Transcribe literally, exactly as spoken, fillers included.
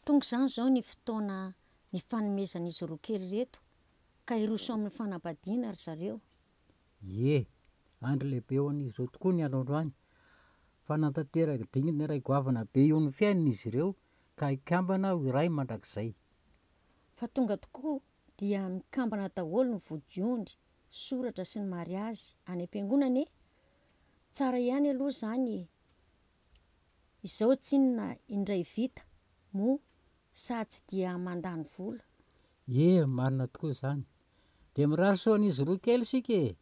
Tonga izany izao ny fotoana nifanomezan'izy roa kely ireto ka hiroso amin'ny fanambadiana ry zareo. Ie, andro lehibe ho an'izy ireo tokoa ny androandroany. Fa nanatanteraka dingana iray goavana be eo amin'ny fiainana izy ireo ka hikambana ho iray mandrakizay. Fa tonga tokoa dia mikambana daholo ny vodiondry, soratra sy ny mariazy any am-piangonana e! Tsara ihany aloha izany e! Izao tsinona indray vita, moa sa tsy dia mandany vola. Ie, marina tokoa izany. Dia mirary soa an'izy roa kely isika e!